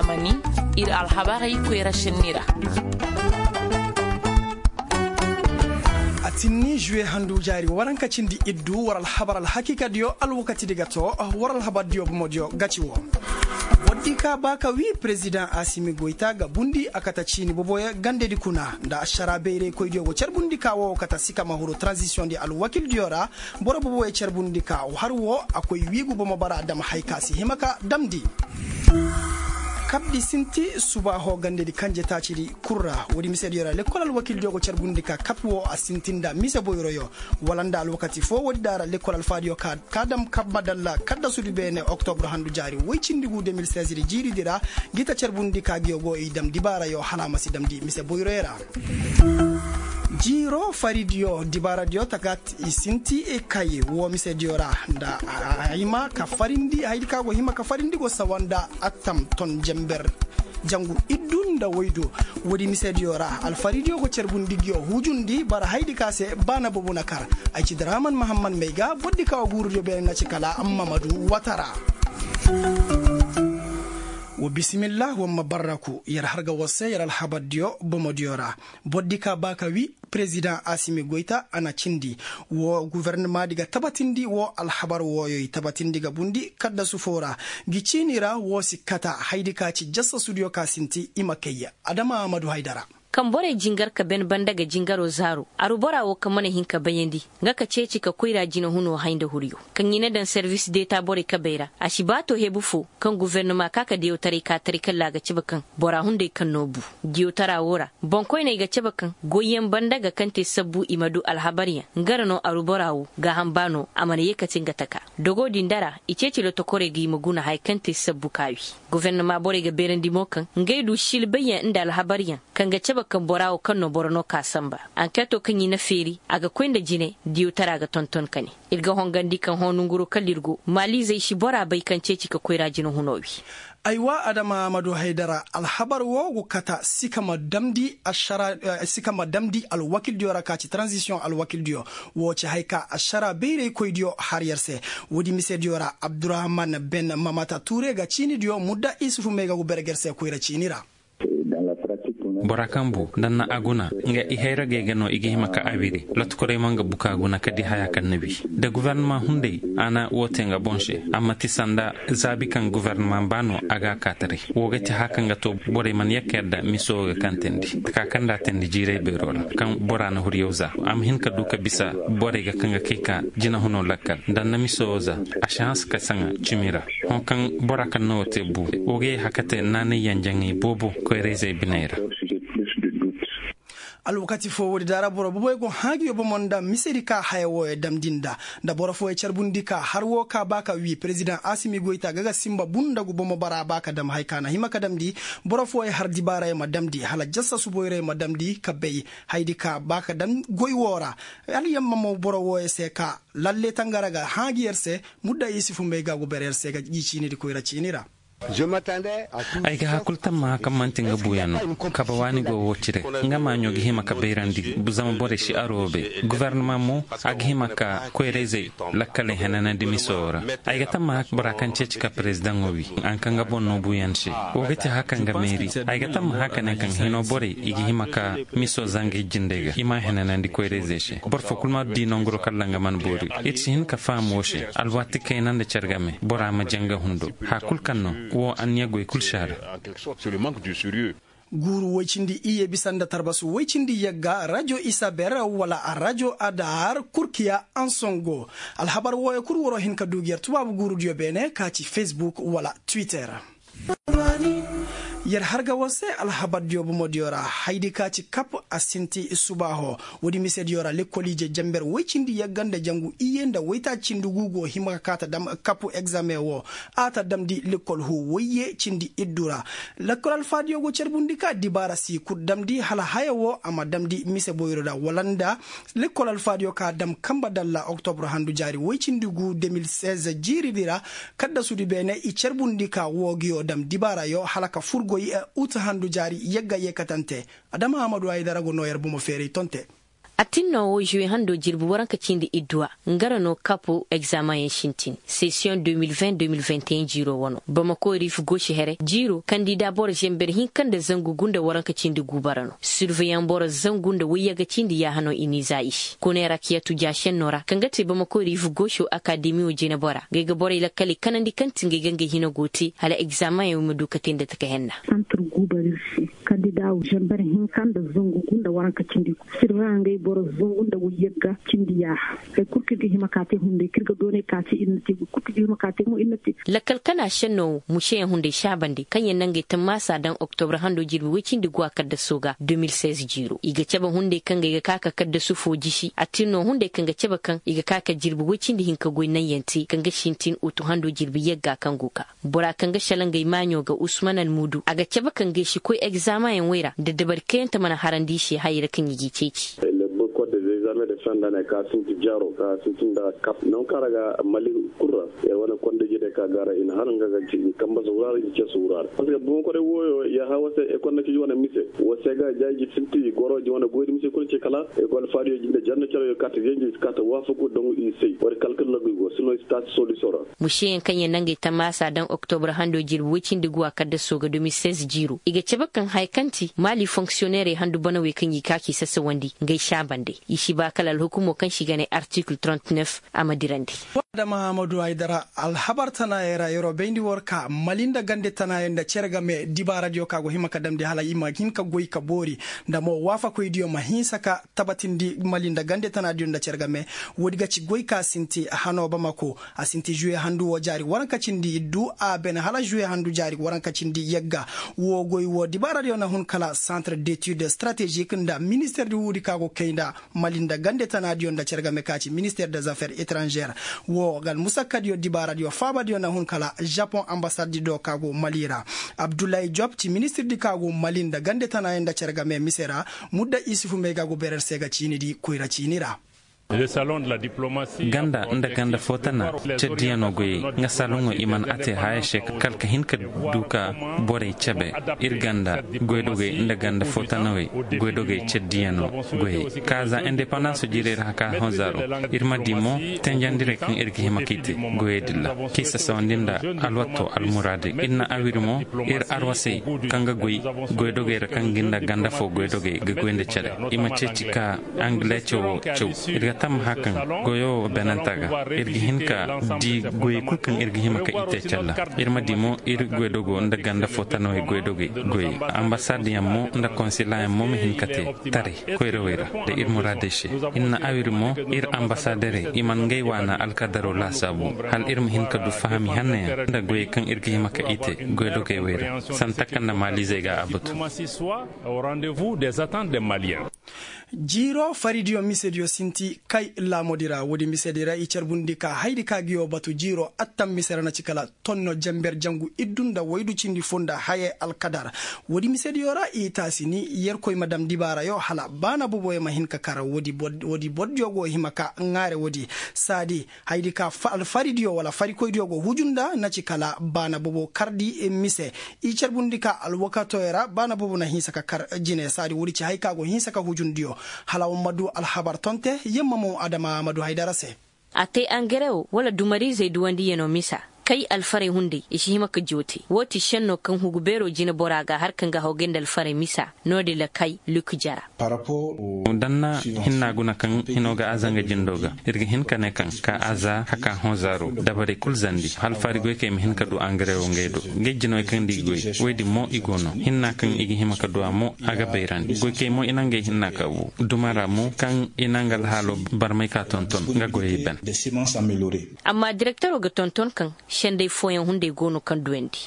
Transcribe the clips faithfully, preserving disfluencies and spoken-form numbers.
Mani ir alhabarey koyra senni ra. A tinni juwe handu jaari waranka cindi iddu war alhabar alhakiikadiyo alwakatidi ga to. War alhabardiyo bomodiyo ga ci wo. Bordi ka ba ka wi perezidaŋ asimi goyta ga bundi a kata ciini boboyo gandedi kuna nda ašara bayraykoydiyo go carbundi ka wo kata sikama huru taranzisiyoŋdi alwakildiyo ra. Boro boboyo carbundi ka har wo a koy wiigu bomo bara dam hay ka si hima ka damndi. Kabdi sinti subaaho gandedi kanje taacidi kul ra. Woodi misediyo ra lekkol alwakildiyo go carbundi ka kap wo a sinti nda mise boyroyo wala nda alwakati fo woodi da ra lekkol alfaadiyo ka ka dam kabba dalla kaddasudi beene oktobur handu jaari woy cindi gu de mil seize di jiiridi ra. Ngi ta carbundi ka ngiyo go i dam dibaarayo hala a ma si damndi mise boyroyo ra. Jiiro faridiyo dibaaradiyo takat i sinti kay wo misediyo ra nda a hima ka farindi haydi ka go hima ka farindi go sawa nda attam ton jember jangu iddu nda waydu. Woodi misediyo ra alfaridiyo go carbundi ngiyo hujundi bara haydi ka se baana boobo na kar. Ay ci draman mahamman may ga bordi ka wo guurudiyo beene na ci kala amma ma du watara. Wa bisimillah wa ma barraku yer har ga war se yer alhabardiyo bomodiyo ra. Bordi ka ba ka wi perezidaŋ asimi goyta a na cindi wo gofornamaadi ga tabatindi wo alhabar wooyoy tabatindi ga bundi kaddasu foo ra. Ngi ciini ra wo si kata haydi ka ci jassasudiyo ka sinti i ma kay. Adama amadu haydara. Kaŋ borey jingar ka ben banda ga jingaro zaaro aru bora wo kaŋ mana hin ka bayandi nga ka ceeci ka koyra jinahunoo hay nda huriyo kaŋ i na daŋ servis deeta borey kabey ra a si baa to hebu foo kaŋ gufernama ka ka diyawtaray ka taray kalla a ga cabe kaŋ bora hunday kaŋ no bu. Diyawtara woo ra boŋkoyney ga cabe kaŋ goyyaŋ banda ga kaŋ te sabbu i ma du alhabaryaŋ nga ra no aru bora woo gaaham baa no a mana yee kate nga taka. Dogo din da ra i ceeci lotokorey ga i ma guna haya kaŋ te sabbu ka wi. Gufernama borey ga beerandi mo kaŋ ngey du silbayyaŋ nda alhabaryaŋ kaŋ ga cabe kaŋ bora woo kaŋ no boro no ka samba. Ankeetoo kaŋ i na feeri a ga koy nda jine diyawtara ga tonton ka ne ir ga hongandi kaŋ hõ nonguroo kala ir go maaliizey si bora bay kaŋ ceeci ka koyra jinahunoo wi. Aywa adama amadu haydara alhabar woo go kata si ka ma damndi alwakildiyo ra ka ci taranzisiyoŋ alwakildiyo. Woo ci hay ka ašara bayraykoydiyo har yer se. Woodi misediyo ra abdurahman ben mamata tuure ga ciinidiyo mudda isufu may ga go berger se koyra ciini ra. Bora kaŋ bu nda na a guna nga i hayragey ga no i ga hima ka a wiri. Lotokorey ma nga buka guna ka di haya kaŋ na wi da gufernama hunday a na woo te nga boŋ se. Amma ti sanda zaabi kaŋ gufernama baa no a ga a kaataray. Woo ga ti haya kaŋ ga to borey mana yakka yadda miso woo ga kaŋ teendi taka kaŋ nda a teendi jiiray beeroo ra kaŋ bora na huriyaw za a ma hin ka du ka bisa borey ga kaŋ ga kay ka jinahunoo lakkal nda na miso woo za. A si hanse ka saŋa cimi ra. Hõ kaŋ bora kaŋ na woo te bu woo ga yee haka te naanay yanjaŋey boobo koyra-izey biney ra. Alwakati foo woodi daara boro boboy go haagiyo bomo nda misedi ka haya wooyo damndi nda nda boro fooyo carbundi ka har woo ka ba ka wii perezidaŋ asimi goyta ga ga simba bun nda gu bomo bara ba ka dam haya ka na hima ka damndi. Boro fooyo har dibaarayo ma damndi hala jassa suboyrayo ma damndi ka bay haydi ka ba ka dam goy woo ra. Hala yamma mo boro wooyo se ka lalle tangara ga haaji yer se. Mudda isufu may ga go ber yer se ga ji ciinidi koyra ciini ra. Ay ga hakul tammaha kaŋ man'ti nga buuyaŋ no. Kabe waani go woo cire nga maaɲo ga hima ka bayrandi zama borey si aroo bay. Gufernama mo a ga hima ka koyra-izey lakkaley henanandi miso woo ra. Ay ga tammaha bora kaŋ ceeci ka perezidaŋo wii a na kaŋ nga boŋ no buuyaŋ se. Woo ga ti haya kaŋ ga meeri. Ay ga tammaha ka ne kaŋ hinoo borey i ga hima ka miso zanga ijjindey ga i m'a henanandi koyra-izey se. Boro foo kul ma dii nonguroo kalla nga mana boori. Ir si hin ka faham woo se alwaati kayna nda care game bora ma jaŋ nga hundo. Haya kul kaŋ no woo anniya goy kul si a ra. Guuru woy cindi iyye bisa nda tarbasu woy cindi yagga rajo isaber wala rajo adar kurkiya ansongo. Alhabar wooyo kul waroo hin ka duu gi yer tubaabu guurudiyo beene ka ci fesbuk wala twitter. Yer har ga war se alhabardiyo bomodiyo ra haydi ka ci kap a sinti subaaho. Woodi misediyo ra lekkoliije jamber woy cindi yagga nda jangu iyye nda woytaaci cindi gu go hima ka kaa ta dam kapu egzame woo. A ta damndi lekkol huu woyye cindi iddu ra. Lekkol alfaadiyo go carbundi ka dibaara si kul damndi hala haya woo a ma damndi mise boyro ra wala nda lekkol alfaadiyo ka dam kanba dalla oktobur handu jaari woy cindi gu de mil seize jiiridi ra. Kaddasudi beene i carbundi ka woo ngiyo dam dibaarayo hala ka fur goy. Ut handu jaari yagga yeekatante. Adama amadu haydara go noo yer bomo feeray tonte. A tin no wo žuwe hando jirbi waranka cindi idduwa nga ra no kapo egzaamanyaŋ sintin sesiyoŋ de mil vingt de mil vingt et un jiiro wano bamako riif gosi here jiiro kandida boro zember hinka nda zangu gunda waranka cindi guuba ra no sirveyaŋ boro zangu nda wayyaga cindi yaaha no i n'i za i se kunay rakiyatu jaasenno ra kaŋ ga te bamako riif goso akademiyo jinebora ngey ga borey lakkaley kanandi kaŋ ti ngey ga ngey hina go te hala egzaamanyaŋ wo ma du ka te nda taka henna. Santir guuba ra ir se kandida wo zember hinka nda zangu gunda waranka cindi sirveyaŋ ngey boro zangu nda wayyagga cindi yaaha. Hari kul kaŋ ir ga hima ka te hunday kaŋ ir ga doonay ka te ir na te boro kul kaŋ ir ga hima ka te mo ir na te. Lakkal kana senno wo museyaŋ hunday saabandi kaŋ yaŋ na ngey tammaasa daŋ oktobra hando jirbi woy cindi guwa kaddaso ga de mil seize jiiro i ga cabe hunday kaŋ ga i ga ka ka kaddasu foo jisi a tin no hunday kaŋ ga cabe kaŋ i ga ka ka jirbi woy cindi hinka goy naŋyaŋ te kaŋ ga sintin utu hando jirbi yagga kaŋ go ka bora kaŋ ga sala ngey maaɲo ga usman almuudu a ga cabe kaŋ ga i si koy egzaamanyaŋ wey ra nda dabari kayante mana harandi i se hayey ra kaŋ i g'i ceeci. Boro kor de zezame de fenda ne ka sinti jaro ka sinti nda kap nangu kaŋ ra ga mali kul ra. Yer wane kondejede ka ga ra i na har nga ga ci i kamba se wuraara i ce se wuraara parceque boŋ koray wooyo ya ha wose ekol na ci ji wane mise wose ga jaaji sinti goro ji wane goydi mise kul ce kala ekol faadiyo jinde janna cere yo kata yenji kata waafaku daŋ i sey wari kalkal lagu i go sino i si taasi solution ra. Museyaŋ kaŋ yaŋ na ngey tammaasa daŋ oktobra hando jirbi woy cindi guwa kaddaso ga de mil seize jiiro i ga cabe kaŋ haya kaŋ ti maali fonksiyoneerey handu banawey kaŋ i ga ka k'i sasawandi ngey saabandey i si ba kala alhukumo kaŋ se i ga ne artikil trente neuf a ma dirandi. Adama hamadu haydara alhabar tanaayey ra yeroo bayndi war ka mali nda gande tanaayey nda cere game dibaaradiyo ka go hima ka damndi hala i ma hin ka goy ka boori nda mo waafakoydiyo ma hinsa ka tabatindi mali nda gande tanaadiyo nda cere game. Woodi ga ci goy ka sinti hanoo bamako a sinti žuwe handu woo jaari waranka cindi iddu a bene hala žuwe handu jaari waranka cindi yagga. Woo goy woo dibaaradiyo na hun kala santre detude stratežik nda minister di wuudi ka go kay nda mali nda gande tanaadiyo nda cere game ka ci minister de zafer etranžer. Woo ga almusakkadiyo dibaaradiyo faabadiyo na hun kala žapon ambasadi do ka go mali ra. Abdullahi job ci ministirdi ka go mali nda gande tanaadiyo nda cere game mise ra. Mudda isufu may ga go berer se ga ciinidi koyra ciini ra. Ganda nda ganda fo tana caddiyanoo goyey nga saaluŋo i man a te haya se kala ka hin ka du ka borey cabe. Ir ganda goydogey nda ganda fo tanawey goydogey caddiyanoo goyey ka za indepandanso jiirey ra haka honzaaro. Ir ma di mo tenjandirey kaŋ ir ga hima k'i te goyey dilla k'i sasawandi nda alwatto almuraadey ir na awiri mo. Ir arwasey kaŋ ga goy goydogey ra kaŋ ga nda ganda fo goydogey ga goy nda care. I ma ceeci ka angle cawo caw ir ga tammaha kaŋ goyo wo beenanta ga ir ga hin ka di goyey kul kaŋ ir ga hima ka i te calla. Ir ma di mo ir goydogo nda ganda fo tanawey goydogey goyey ambasad yaŋ mo nda konsila yaŋ mo ma hin ka te taray koyrawey ra nda ir muraadey se. Ir na awiri mo ir ambasaderey i man ngey waana alkadaro laasaabu hala ir ma hin ka du fahami hanna yaŋ nda goyey kaŋ ir ga hima ka i te goydogey wey ra santa kaŋ nda maalizey ga a batu. Jiiro faridiyo misediyo sinti kay laamodi ra woodi misedi ra i carbundi ka haydi ka ga yoo batu jiiro attam mise ra na ci kala tonno jenber jangu iddu nda waydu cindi fo nda hayey alkadar. Woodi misediyo ra i taasi ni yerkoy ma dam dibaarayo hala baana boboyo ma hin ka kar woodi boddiyo go hima ka ŋaare woodi saadi haydi ka alfaridiyo wala farikoydiyo go huju nda na ci kala baana bobo kardi mise. I carbundi ka alwakatoyo ra baana bobo na hinsa ka kar jine saadi woodi ci hay ka go hinsa ka hujundiyo. Hala wa ma du alhabar tonte yamma mo adama ma du haydara se. A te angare wo wala dumariizey duwandiyanoo misa kay alfarey hunday i si hima ka joote woo ti senno kaŋ hugu beeroo jineboraa ga har kaŋ ga hawgay nda alfarey misa. Noodin ra kay luk jara. Danna hinna guna kaŋ hinoo ga aza nga jindoo ga ir ga hin ka ne kaŋ ka aza haka hõ zaaro dabarey kul zandi hala fari goykey ma hin ka du angare wo ngey do. Ngey jinawey kaŋ nda i goy woy din mo i go no hinna kaŋ i ga hima ka du a mo a ga bayrandi goykey mo i na ngey hinna ka bu duma ra mo kaŋ i na nga alhaalo barmay ka tonton nga goyey ban. Amma direktero ga tonton kaŋ senday fooyaŋ hunday go no kaŋ duwandi.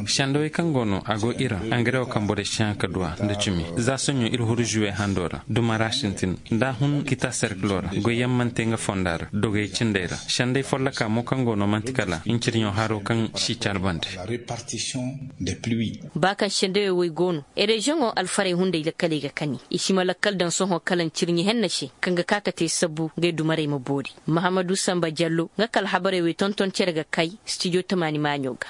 Sendawey kaŋ go no a go ira angare wo kaŋ borey si haŋ ka du a nda cumi za soɲo ir huru žuwe hando ra duma ra sintin nda a hun kita serkilo ra goyyaŋ man'te nga fonda ra dogey cindey ra sendey folloka mo kaŋ go no man'ti kala ncirɲo haro kaŋ si carbandi. Ba kaŋ sendawey wey go no ereziyoŋo alfarey hunday lakkaley ga kani i si ma lakkal daŋ sohõ kala ncirɲi henna se kaŋ ga ka ka te sabbu ngey dumarey ma boori. Mahamadu samba jallo nga kala habarey wey tonton cere ga kay stijo tamaani maaɲo ga.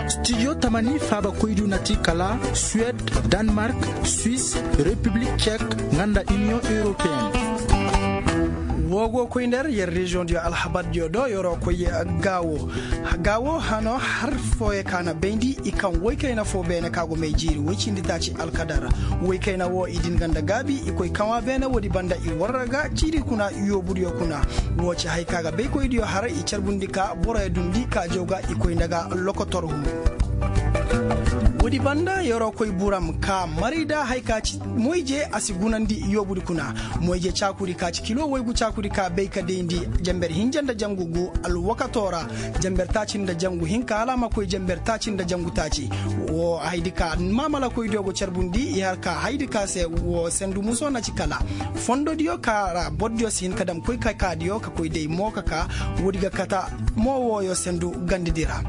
Studio tamani faabakoydiyo na ti kala suwed, danmark, swis, repiblik cek, nga nda iniyoŋ europeen. Woo go koy nder yer reziyoŋdiyo alhabardiyo do yer'o koy. Gaawo gaawo hano har fooyo ka na bayndi i kaŋ woy kayna foo beene ka go may jiiri woy cindi taaci alkadar. Woy kayna woo i din ga nda gaabi i koy kaŋ a beene woodi banda i warra ga ciiri kuna yoobudiyo kuna. Woo ci haya ka ga baykoydiyo har i carbundi ka boroyo dundi ka jaw ga i koy nda ga lokotor hun. Woodi banda yer'o koy buram ka maray nda haya ka ci moyje a si gunandi yoobudi kuna. Moyje caakudi ka ci kilo waygu caakudi ka bay ka dayndi jenber hinja nda jangu gu alwakato ra. Jenber taaci nda jangu hinka hala a ma koy jenber taaci nda jangu taaci. Woo hayadi ka maamalakoydiyo go carbundi i har ka hayadi ka se woo sendu muso na ci kala fondodiyo ka ra bordiyo si hin ka dam koy ka kaadiyo ka koy day mo ka ka. Woodi ga kata mo wooyo sendu gandidi ra.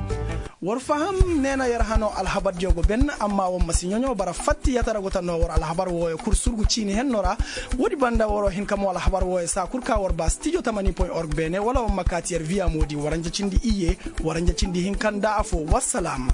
War faham neena yer hano alhabardiyo go ben amma war ma si ɲoɲo bara fatti yatara go ta no war alhabar wooyo kul surgu ciini henno ra. Woodi banda war'o hin ka mo alhabar wooyo saa kul ka war ba studio tamani point org beene wala war ma kaati yer viya moodi waranja cindi iyye. Waranja cindi hinka nda afo wassalam.